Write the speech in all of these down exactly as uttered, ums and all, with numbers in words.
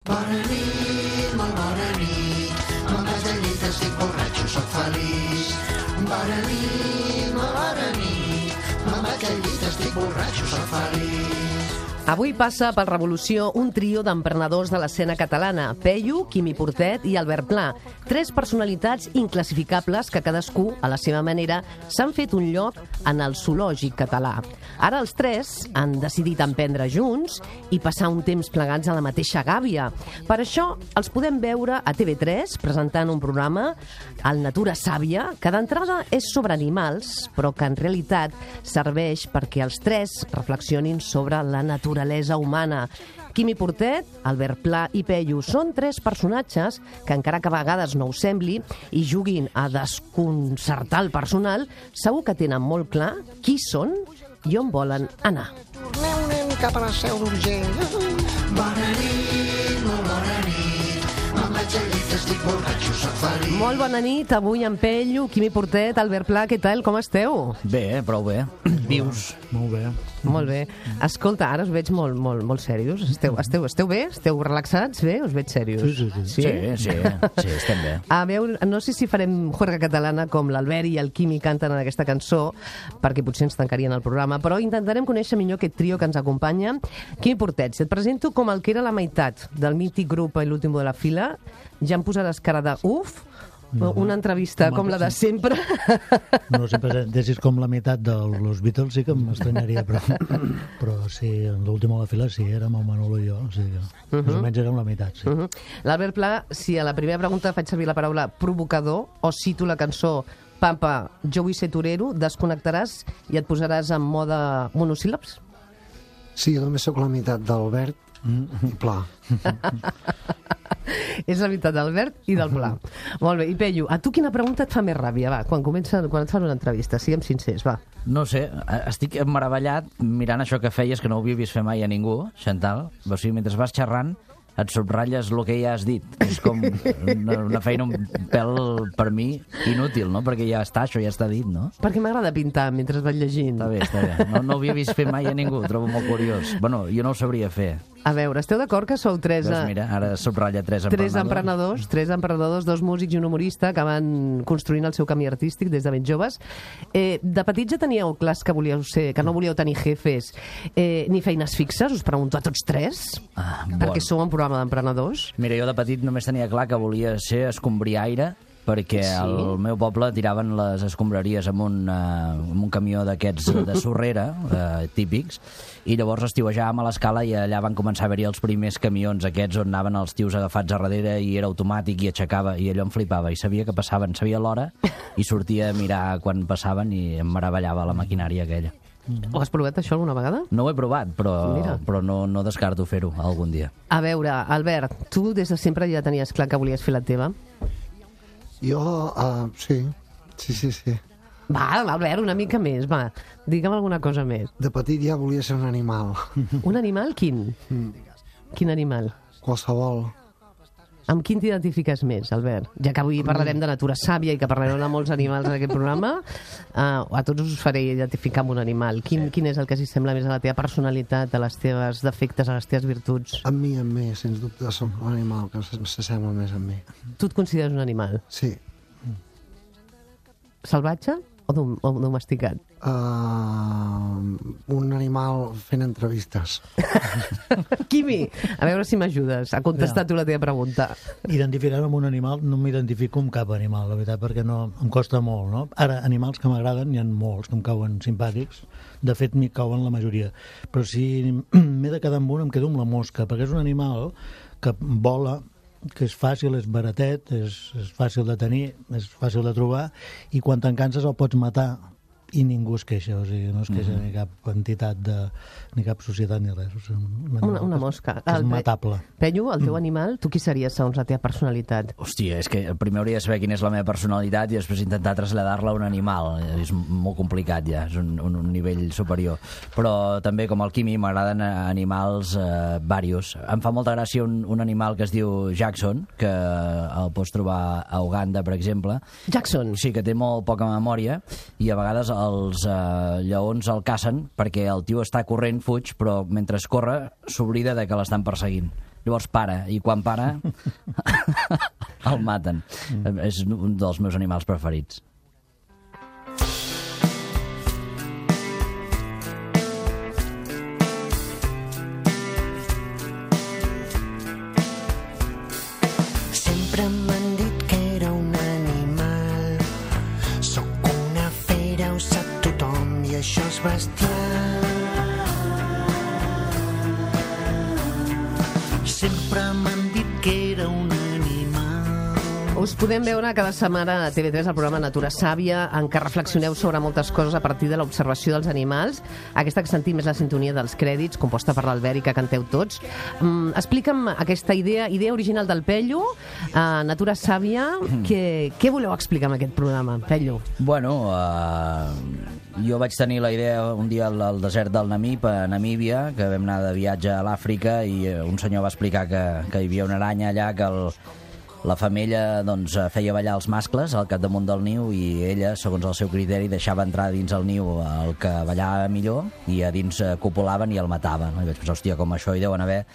Bona nit, molt bona nit, me'n vaig al llit, estic borratxo, soc feliç. Bona nit, molt bona nit, me'n vaig al llit, estic borratxo, soc feliç. Avui passa per Revolució un trio d'emprenedors de l'escena catalana, Peyu, Quimi Portet i Albert Pla. Tres personalitats inclassificables que cadascú, a la seva manera, s'han fet un lloc en el zoològic català. Ara els tres han decidit emprendre junts i passar un temps plegats a la mateixa gàbia. Per això els podem veure a T V tres presentant un programa, el Natura Sàvia, que d'entrada és sobre animals, però que en realitat serveix perquè els tres reflexionin sobre la naturalesa humana. Quimi Portet, Albert Pla i Peyu són tres personatges que, encara que a vegades no ho sembli, i juguin a desconcertar el personal, segur que tenen molt clar qui són i on volen anar. Torneu, nen, cap a la Seu d'Urgell. Bona nit, molt bona nit, me'n vaig al llit, estic borratxo, soc feliç. Molt bona nit, avui en Peyu, Quimi Portet, Albert Pla, què tal, com esteu? Bé, prou bé. Vius. Molt bé. Molt bé. Escolta, ara us veig molt, molt, molt serios. Esteu, esteu, esteu bé? Esteu relaxats? Bé? Us veig serios. Sí, sí, sí. Sí, sí, sí, estem bé. A veure, no sé si farem juerga catalana com l'Albert i el Quimi canten en aquesta cançó, perquè potser ens tancarien el programa, però intentarem conèixer millor aquest trio que ens acompanya. Quimi Portet, et presento com el que era la meitat del mític grup L'Último de la Fila. Ja em posaràs cara de uf, no, una entrevista com la de sempre. No, si presentessis com la meitat de los Beatles sí que m'estranyaria, però, però sí, en l'última de la fila sí, érem el Manolo i jo, o sigui que uh -huh. més o menys érem la meitat, sí. Uh -huh. L'Albert Pla, si a la primera pregunta faig servir la paraula provocador o cito la cançó Papa, jo vull ser torero, desconnectaràs i et posaràs en mode monosíl·labs? Sí, jo també sóc la meitat d'Albert i Pla. És la meitat d'Albert i del Pla. Molt bé, i Peyu, a tu quina pregunta et fa més ràbia? Va, quan, comença, quan et fan una entrevista, siguem sincers, va. No sé, estic meravellat mirant això que feies, que no ho havia vist fer mai a ningú, Chantal. O sigui, mentre vas xerrant, et subratlles el que ja has dit. És com una, una feina un pèl, per mi, inútil, no? Perquè ja està, això ja està dit, no? Perquè m'agrada pintar mentre vaig llegint. Està bé, està bé. No, no ho havia vist fer mai a ningú, ho trobo molt curiós. Bueno, jo no ho sabria fer. A veure, esteu d'acord que sou tres... Doncs mira, ara subratlla tres emprenedors. Tres emprenedors, tres emprenedors, dos músics i un humorista que van construint el seu camí artístic des de ben joves. Eh, de petits ja teníeu clars que volíeu ser, que no volíeu tenir jefes eh, ni feines fixes? Us pregunto a tots tres. Ah, perquè bon. sou un programa d'emprenedors. Mira, jo de petit només tenia clar que volia ser escombriaire, perquè Sí? al meu poble tiraven les escombraries amb un, uh, amb un camió d'aquests de sorrera, uh, típics, i llavors estiuejàvem a l'escala i allà van començar a haver-hi els primers camions aquests on anaven els tios agafats a darrere i era automàtic i aixecava, i allò em flipava, i sabia que passaven, sabia l'hora, i sortia a mirar quan passaven i em meravellava la maquinària aquella. Ho has provat això alguna vegada? No ho he provat, però, Mira. però no, no descarto fer-ho algun dia. A veure, Albert, tu des de sempre ja tenies clar que volies fer la teva? Jo, uh, sí, sí, sí, sí. Va, Albert, una mica més, va. Digue'm alguna cosa més. De petit ja volia ser un animal. Un animal, quin? Mm. Quin animal? Qualsevol. Amb quin t'identifiques més, Albert? Ja que avui parlarem de natura sàvia i que parlarem de molts animals en aquest programa, uh, a tots us faré identificar amb un animal. Quin, quin és el que s'assembla més a la teva personalitat, a les teves defectes, a les teves virtuts? Amb mi, amb mi, sens dubte, soc un animal que s'assembla més amb mi. Tu et consideres un animal? Sí. Salvatge o, dom o domesticat? Uh, un animal fent entrevistes. Quimi, a veure si m'ajudes a contestar tu la teva pregunta. Identificar-me amb un animal no m'identifico amb cap animal, la veritat, perquè no, em costa molt, no? Ara, animals que m'agraden, n'hi ha molts que em cauen simpàtics, de fet m'hi cauen la majoria, però si m'he de quedar amb un em quedo amb la mosca, perquè és un animal que vola, que és fàcil, és baratet, és, és fàcil de tenir, és fàcil de trobar, i quan te'n canses el pots matar i ningú es queixa, o sigui, no es queixa mm-hmm. ni cap entitat, de, ni cap societat ni res. O sigui, un una, una mosca. Que és matable. Penyo, el teu mm. animal, tu qui series segons la teva personalitat? Hòstia, és que primer hauria de saber quina és la meva personalitat i després intentar traslladar-la a un animal. És molt complicat ja, és un, un, un nivell superior. Però també, com el Quimi, m'agraden animals eh, varios. Em fa molta gràcia un, un animal que es diu Jackson, que el pots trobar a Uganda, per exemple. Jackson? Sí, que té molt poca memòria i a vegades els eh, lleons el cacen perquè el tio està corrent, fuig, però mentre corre s'oblida de que l'estan perseguint. Llavors para, i quan para el maten. Mm. És un dels meus animals preferits. Sempre m'han dit que era un animal, sóc una fera, ho sap tothom, i això és bestial. Sempre m'han dit que era un animal. Us podem veure cada setmana a T V tres el programa Natura Sàvia, en què reflexioneu sobre moltes coses a partir de l'observació dels animals. Aquesta que sentim és la sintonia dels crèdits, composta per l'Albert i que canteu tots. Mm, explica'm aquesta idea, idea original del Pello, a Natura Sàvia. Què, què voleu explicar amb aquest programa, Pello? Bueno, uh, jo vaig tenir la idea un dia al, al desert del Namib, a Namíbia, que vam anar de viatge a l'Àfrica, i un senyor va explicar que, que hi havia una aranya allà que el, la femella doncs, feia ballar els mascles al capdamunt del niu, i ella, segons el seu criteri, deixava entrar dins el niu el que ballava millor, i a dins copulaven i el mataven. I vaig pensar, hòstia, com això hi deuen haver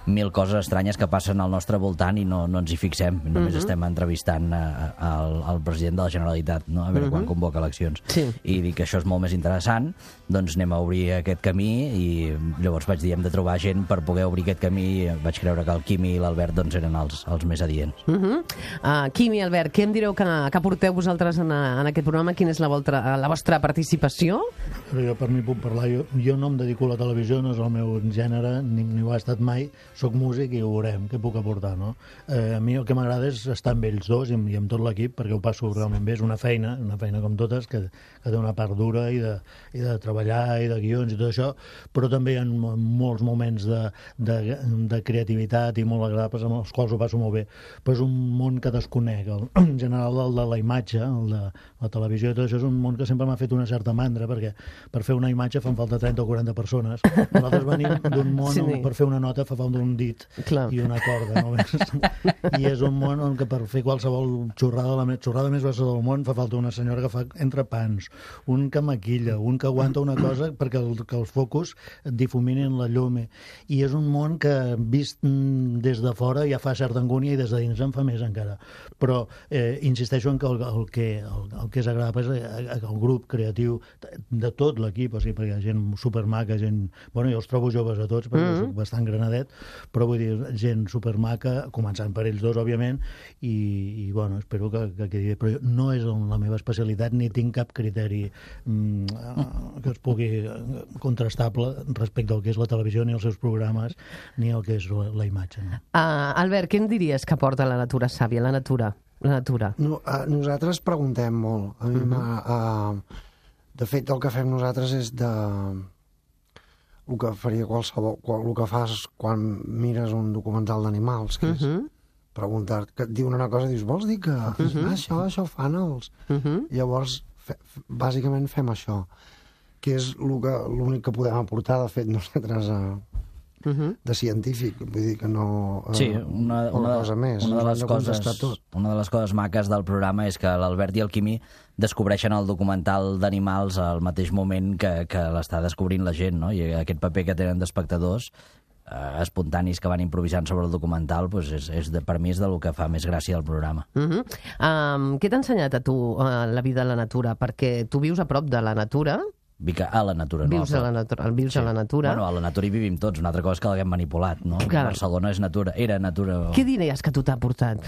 mil coses estranyes que passen al nostre voltant i no, no ens hi fixem. Només uh-huh. estem entrevistant al, al president de la Generalitat, no? A veure uh-huh. quan convoca eleccions. Sí. I dic que això és molt més interessant, doncs anem a obrir aquest camí, i llavors vaig dir, hem de trobar gent per poder obrir aquest camí. Vaig creure que el Quimi i l'Albert doncs, eren els, els més adients. Uh-huh. uh, Quimi, Albert, què em direu que, que porteu vosaltres en, en aquest programa? Quina és la, volta, la vostra participació? Però jo per mi puc parlar. Jo, jo no em dedico a la televisió, no és el meu gènere, ni, ni ho ha estat mai. Soc músic i ho veurem, què puc aportar, no? Eh, a mi el que m'agrada és estar amb ells dos i amb, i amb tot l'equip, perquè ho passo realment bé. És una feina, una feina com totes, que, que té una part dura i de, i de treballar i de guions i tot això, però també hi ha molts moments de, de, de creativitat i molt agradables amb els quals ho passo molt bé. Però és un món que desconec. El, en general, el de la imatge, el de la televisió i tot això, és un món que sempre m'ha fet una certa mandra, perquè per fer una imatge fan falta trenta o quaranta persones. Nosaltres venim d'un món sí, on per fer una nota fa falta un dit Clar. I una corda, només. I és un món on que per fer qualsevol xorrada, la xorrada més grossa del món, fa falta una senyora que fa entrepans, un que maquilla, un que aguanta una cosa perquè el, que els focus difuminin la llum. I és un món que, vist des de fora, ja fa certa angúnia i des de dins en fa més encara. Però eh, insisteixo en que el, el, que, el, el que és agradable és el grup creatiu de tot l'equip, o sigui, perquè hi ha gent supermaca, gent... Bueno, jo els trobo joves a tots, perquè mm-hmm. soc bastant granadet, però vull dir, gent supermaca, començant per ells dos, òbviament, i, i bueno, espero que, que quedi bé. Però no és la meva especialitat, ni tinc cap criteri mm, que es pugui contrastable respecte al que és la televisió, ni els seus programes, ni el que és la, la imatge. No? Uh, Albert, què em diries que porta la Natura Sàvia, la natura? La natura. No, uh, nosaltres preguntem molt. A mi uh-huh. uh, de fet, el que fem nosaltres és de... el que faria qualsevol, el que fas quan mires un documental d'animals, que és uh-huh. preguntar, que et diuen una cosa i dius, vols dir que uh-huh. això, això fan els... Uh-huh. Llavors, fe, bàsicament fem això, que és l'únic que podem aportar, de fet, nosaltres a, uh-huh. de científic, vull dir que no... Sí, una, una, cosa més, una, de les de coses, una de les coses maques del programa és que l'Albert i el Quimi descobreixen el documental d'animals al mateix moment que, que l'està descobrint la gent, no? I aquest paper que tenen d'espectadors eh, espontanis que van improvisant sobre el documental, pues és, és de, per mi és del que fa més gràcia del programa. Uh-huh. um, què t'ha ensenyat a tu uh, la vida a la natura? Perquè tu vius a prop de la natura. Vic a la natura, no? Vius a la natura. Vius sí. a la natura. Bueno, a la natura hi vivim tots. Una altra cosa és que l'haguem manipulat, no? Clar. Barcelona és natura, era natura. Què diries que tu t'ha portat?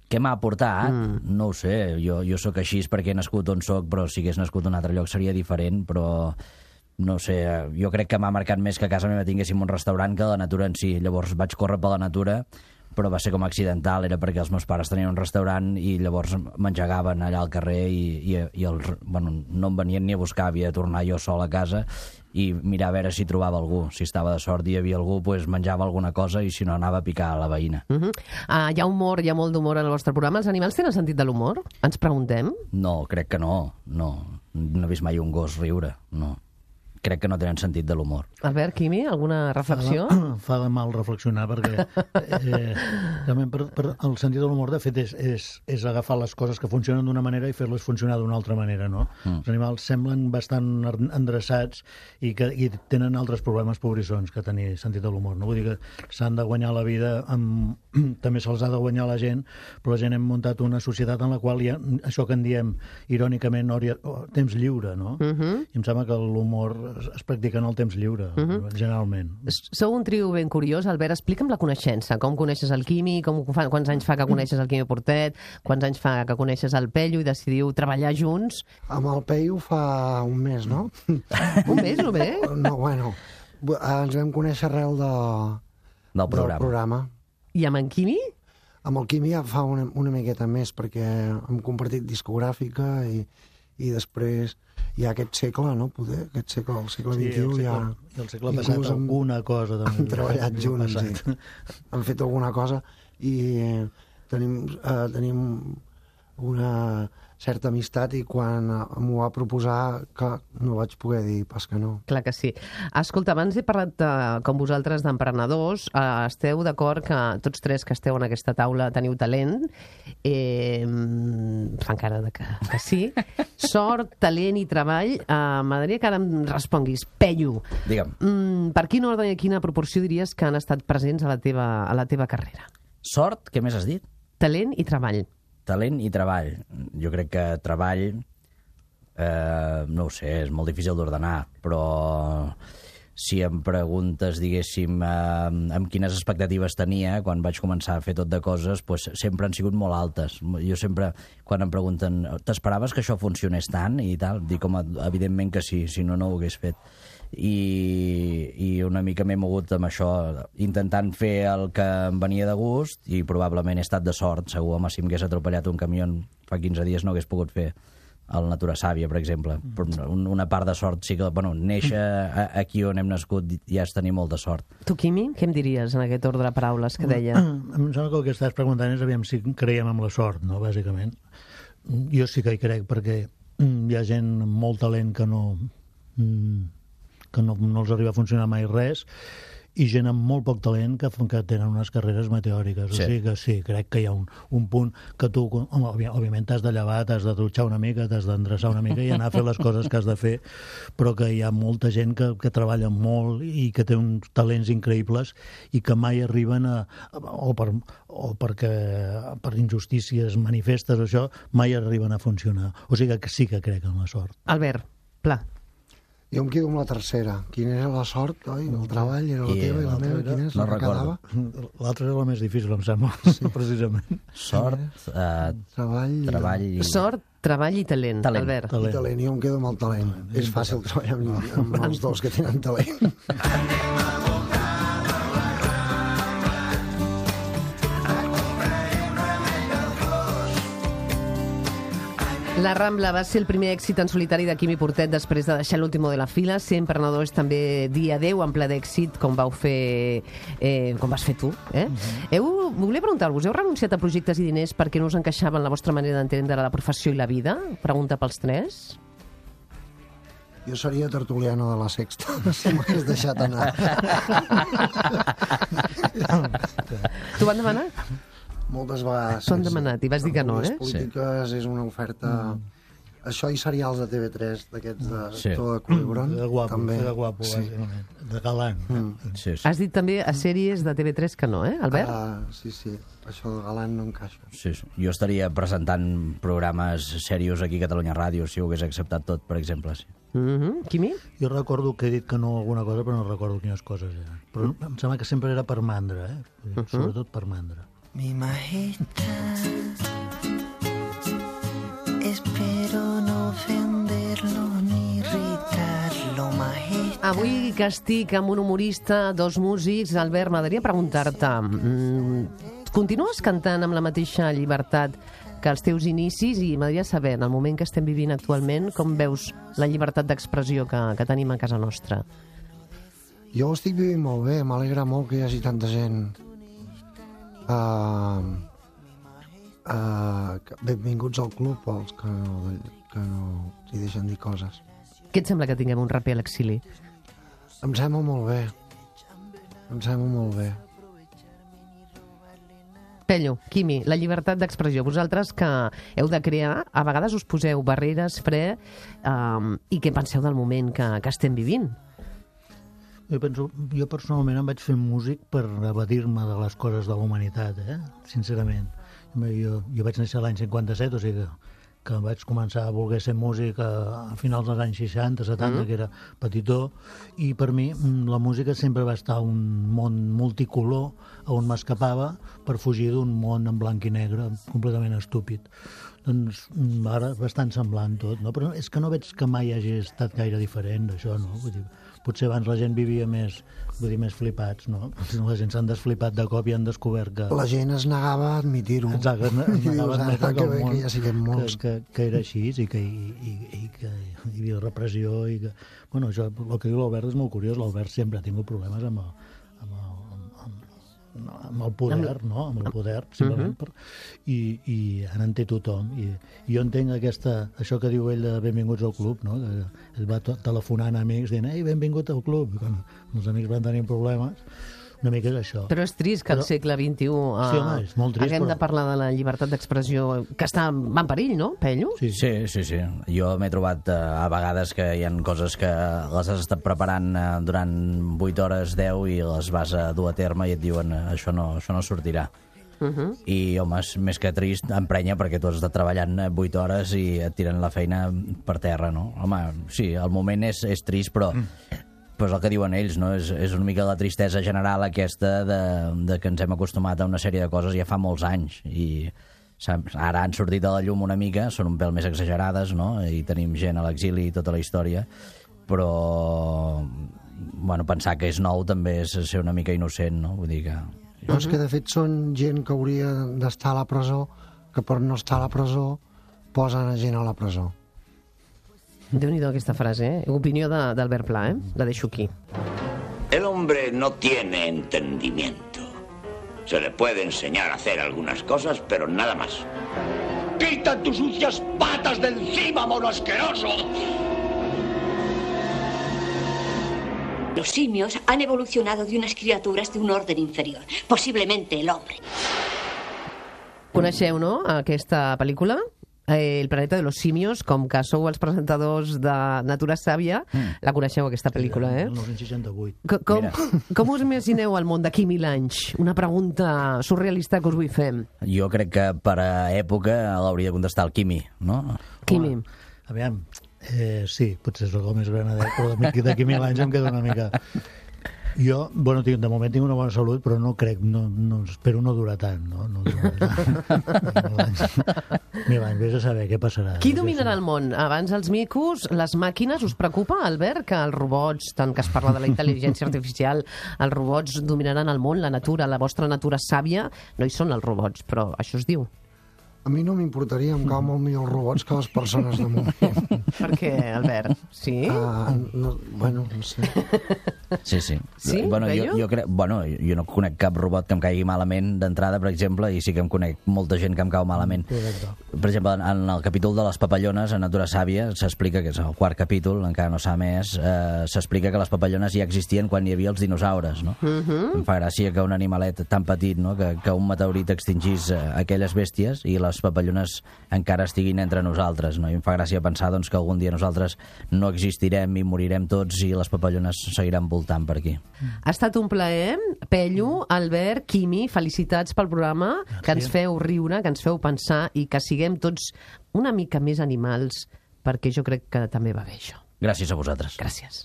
Què m'ha aportat? Mm. No ho sé. Jo, jo sóc així perquè he nascut on soc, però si hagués nascut en un altre lloc seria diferent, però no sé, jo crec que m'ha marcat més que a casa meva tinguéssim un restaurant que la natura en si. Llavors vaig córrer per la natura, però va ser com accidental, era perquè els meus pares tenien un restaurant i llavors m'engegaven allà al carrer i, i, i els, bueno, no em venien ni a buscar, havia de tornar jo sol a casa i mirar a veure si trobava algú. Si estava de sort i hi havia algú, pues, menjava alguna cosa i si no anava a picar a la veïna. Uh-huh. uh, hi ha humor, hi ha molt d'humor en el vostre programa. Els animals tenen sentit de l'humor? Ens preguntem? No, crec que no. No, no he vist mai un gos riure, no. crec que no tenen sentit de l'humor. Albert, Quimi, alguna reflexió? Fa, fa mal reflexionar perquè eh, també per, per el sentit de l'humor de fet és, és, és agafar les coses que funcionen d'una manera i fer-les funcionar d'una altra manera, no? Mm. Els animals semblen bastant endreçats i, que, i tenen altres problemes pobrissons que tenir sentit de l'humor, no? Vull dir que s'han de guanyar la vida amb... també se'ls ha de guanyar la gent, però la gent hem muntat una societat en la qual hi ha això que en diem irònicament hora, temps lliure, no? Uh -huh. I em sembla que l'humor es, es practica en el temps lliure, uh -huh. generalment. Sou un trio ben curiós. Albert, explica'm la coneixença. Com coneixes el Quimi? Com fa, quants anys fa que coneixes el Quimi Portet? Quants anys fa que coneixes el Pello i decidiu treballar junts? Amb el Peyu fa un mes, no? Un mes, només? No, bueno, ens vam conèixer arrel de, del programa. del programa. I amb en Quimi? Amb el Quimi ja fa una, una miqueta més, perquè hem compartit discogràfica i, i després hi ha aquest segle, no? Poder, aquest segle, el segle vint-i-u, sí, el segle, ja... el segle passat hem, alguna cosa... També, hem treballat junts, sí. Hem fet alguna cosa i eh, tenim, eh, tenim una certa amistat i quan m'ho va proposar que no vaig poder dir pas que no. Clar que sí. Escolta, abans he parlat, de, com vosaltres, d'emprenedors. Eh, esteu d'acord que tots tres que esteu en aquesta taula teniu talent? Eh, fan cara de que, que sí. Sort, talent i treball. Eh, M'agradaria que ara em responguis. Pello, Digue'm. Mm, per quin ordre i quina proporció diries que han estat presents a la teva, a la teva carrera? Sort, què més has dit? Talent i treball. Talent i treball. Jo crec que treball, eh, no ho sé, és molt difícil d'ordenar, però si em preguntes, diguéssim, eh, amb quines expectatives tenia quan vaig començar a fer tot de coses, pues, sempre han sigut molt altes. Jo sempre, quan em pregunten, t'esperaves que això funcionés tant i tal? Dic, home, evidentment que sí, si no, no ho hagués fet. I, i una mica m'he mogut amb això, intentant fer el que em venia de gust i probablement he estat de sort. Segur, home, si m'hagués atropellat un camió fa quinze dies no hagués pogut fer el Natura Sàvia, per exemple. Però una part de sort sí que... Bueno, néixer aquí on hem nascut ja és tenir molta sort. Tu, Quimi, què em diries en aquest ordre de paraules que deia? Em sembla que el que estàs preguntant és aviam si creiem en la sort, no?, bàsicament. Jo sí que hi crec, perquè hi ha gent amb molt talent que no... que no, no els arriba a funcionar mai res, i gent amb molt poc talent que, que tenen unes carreres meteòriques. Sí. O sigui que sí, crec que hi ha un, un punt que tu, home, òbviament t'has de llevar, t'has de dutxar una mica, t'has d'endreçar una mica i anar a fer les coses que has de fer, però que hi ha molta gent que, que treballa molt i que té uns talents increïbles i que mai arriben a... o, per, o perquè per injustícies manifestes, això, mai arriben a funcionar. O sigui que sí que crec en la sort. Albert, Pla. Jo em quedo amb la tercera. Quina era la sort, oi? El treball era la I teva i la meva. Quina és no la que recordo. quedava? L'altra era la més difícil, em sembla, sí. precisament. Sort, eh, Treball, treball... I... Sort, treball i talent, Talent. Albert. i talent. Jo em quedo amb el talent. És fàcil treballar amb, amb els dos que tenen talent. La Rambla va ser el primer èxit en solitari de Quimi Portet després de deixar l'último de la fila. Ser emprenedor és també dir adeu en ple d'èxit, com vau fer, eh, com vas fer tu. Eh? Uh-huh. Heu, volia preguntar-vos, heu renunciat a projectes i diners perquè no us encaixaven la vostra manera d'entendre la professió i la vida? Pregunta pels tres. Jo seria tertuliano de la Sexta, si m'hagués deixat anar. T'ho van demanar? Moltes vegades. T'ho han demanat i vas dir que no, eh? Les polítiques és una oferta... Mm. Això i serials de T V tres, d'aquests de Sí. Todo de Culebrón. De guapo, també. de guapo, Sí. bàsicament. De galant. Mm. Sí, sí. Has dit també a sèries de T V tres que no, eh, Albert? Ah, sí, sí. Això de galant no encaixa. Sí, sí. Jo estaria presentant programes serios aquí a Catalunya Ràdio si ho hagués acceptat tot, per exemple. Sí. Mm-hmm. Quimi? Jo recordo que he dit que no alguna cosa, però no recordo quines coses eren. Però em sembla que sempre era per mandra, eh? Sobretot per mandra. Mi majestad, espero no ofenderlo ni irritarlo, majestad. Avui que estic amb un humorista, dos músics, Albert, m'agradaria preguntar-te, mm, continues cantant amb la mateixa llibertat que els teus inicis i m'agradaria saber, en el moment que estem vivint actualment, com veus la llibertat d'expressió que, que tenim a casa nostra? Jo ho estic vivint molt bé, m'alegra molt que hi hagi tanta gent. Uh, uh, benvinguts al club, els que no, que no hi deixen dir coses. Què et sembla que tinguem un raper a l'exili? Em sembla molt bé. Em sembla molt bé. Pello, Quimi, la llibertat d'expressió. Vosaltres que heu de crear, a vegades us poseu barreres, fre, um, i què penseu del moment que, que estem vivint? Jo penso, jo personalment em vaig fer músic per evadir-me de les coses de la humanitat, eh? Sincerament. Jo, jo vaig néixer l'any cinquanta-set, o sigui que, que vaig començar a voler ser músic a, a finals dels anys seixanta, setanta, mm. que era petitó, i per mi la música sempre va estar un món multicolor on m'escapava per fugir d'un món en blanc i negre completament estúpid. Doncs ara bastant semblant tot, no? Però és que no veig que mai hagi estat gaire diferent d'això, no? Vull dir, potser abans la gent vivia més, vull dir, més flipats, no? La gent s'han desflipat de cop i han descobert que... La gent es negava a admitir-ho. Exacte, es negava a admetre que, que, que ja siguem molts. Que, que, que era així i que, i, i, i que hi havia repressió i que... Bueno, això, el que diu l'Albert és molt curiós. L'Albert sempre ha tingut problemes amb el, amb el, amb el poder, no? Amb el poder, simplement. Uh -huh. per... I, I ara en té tothom. I, I jo entenc aquesta, això que diu ell de benvinguts al club, no? Que ell va telefonant a amics dient, ei, benvingut al club. I quan els amics van tenir problemes, una mica és això. Però és trist que al segle vint-i-u uh, sí, home, és molt trist, haguem però... de parlar de la llibertat d'expressió, que està en perill, no, Pello? Sí, sí, sí. sí. Jo m'he trobat uh, a vegades que hi ha coses que les has estat preparant uh, durant vuit hores, deu, i les vas a dur a terme i et diuen uh, això, no, això no sortirà. Uh -huh. I, home, és més que trist, emprenya, perquè tu has estat treballant vuit hores i et tiren la feina per terra, no? Home, sí, el moment és, és trist, però... Mm. Però és el que diuen ells, no? És, és una mica la tristesa general aquesta de, de que ens hem acostumat a una sèrie de coses ja fa molts anys i saps? Ara han sortit a la llum una mica, són un pèl més exagerades, no? I tenim gent a l'exili i tota la història, però bueno, pensar que és nou també és ser una mica innocent, no? Vull dir que... No, és que de fet són gent que hauria d'estar a la presó, que per no estar a la presó posen a gent a la presó. Déu-n'hi-do aquesta frase, eh? Opinió d'Albert Pla, eh? La deixo aquí. El hombre no tiene entendimiento. Se le puede enseñar a hacer algunas cosas, pero nada más. ¡Quita tus sucias patas de encima, mono asqueroso! Los simios han evolucionado de unas criaturas de un orden inferior, posiblemente el hombre. Coneixeu, no?, aquesta pel·lícula? Eh, El planeta de los simios, com que sou els presentadors de Natura Sàvia, mm. la coneixeu, aquesta pel·lícula, eh? El dinou seixanta-vuit. Com, com, com us imagineu el món d'aquí mil anys? Una pregunta surrealista que us vull fer. Jo crec que per a època l'hauria de contestar el Quimi, no? Quimi. Home, aviam, eh, sí, potser soc el més granadet, però d'aquí mil anys em queda una mica... Jo, bueno, tinc, de moment tinc una bona salut, però no crec, no, no, espero no durar tant, no? No durar tant. Mil anys, vés a saber què passarà. Qui dominarà el món? Abans els micos, les màquines, us preocupa, Albert, que els robots, tant que es parla de la intel·ligència artificial, els robots dominaran el món, la natura, la vostra natura sàvia? No hi són els robots, però això es diu. A mi no m'importaria, em cau molt millor els robots que les persones de moment. Per què, Albert? Sí? Uh, no, bueno, no sé. Sí, sí. Sí? Bueno, jo, jo, crec, bueno, jo no conec cap robot que em caigui malament d'entrada, per exemple, i sí que em conec molta gent que em cau malament. Per exemple, en el capítol de les papallones, a Natura Sàvia, s'explica, que és el quart capítol, encara no s'ha més, eh, s'explica que les papallones ja existien quan hi havia els dinosaures, no? Uh -huh. Em fa gràcia que un animalet tan petit, no?, que, que un meteorit extingís eh, aquelles bèsties i les papallones encara estiguin entre nosaltres, no? I em fa gràcia pensar, doncs, que algun dia nosaltres no existirem i morirem tots i les papallones seguiran voltant per aquí. Ha estat un plaer. Pello, Albert, Quimi, felicitats pel programa, Gràcies. Que ens feu riure, que ens feu pensar i que siguem tots una mica més animals, perquè jo crec que també va bé això. Gràcies a vosaltres. Gràcies.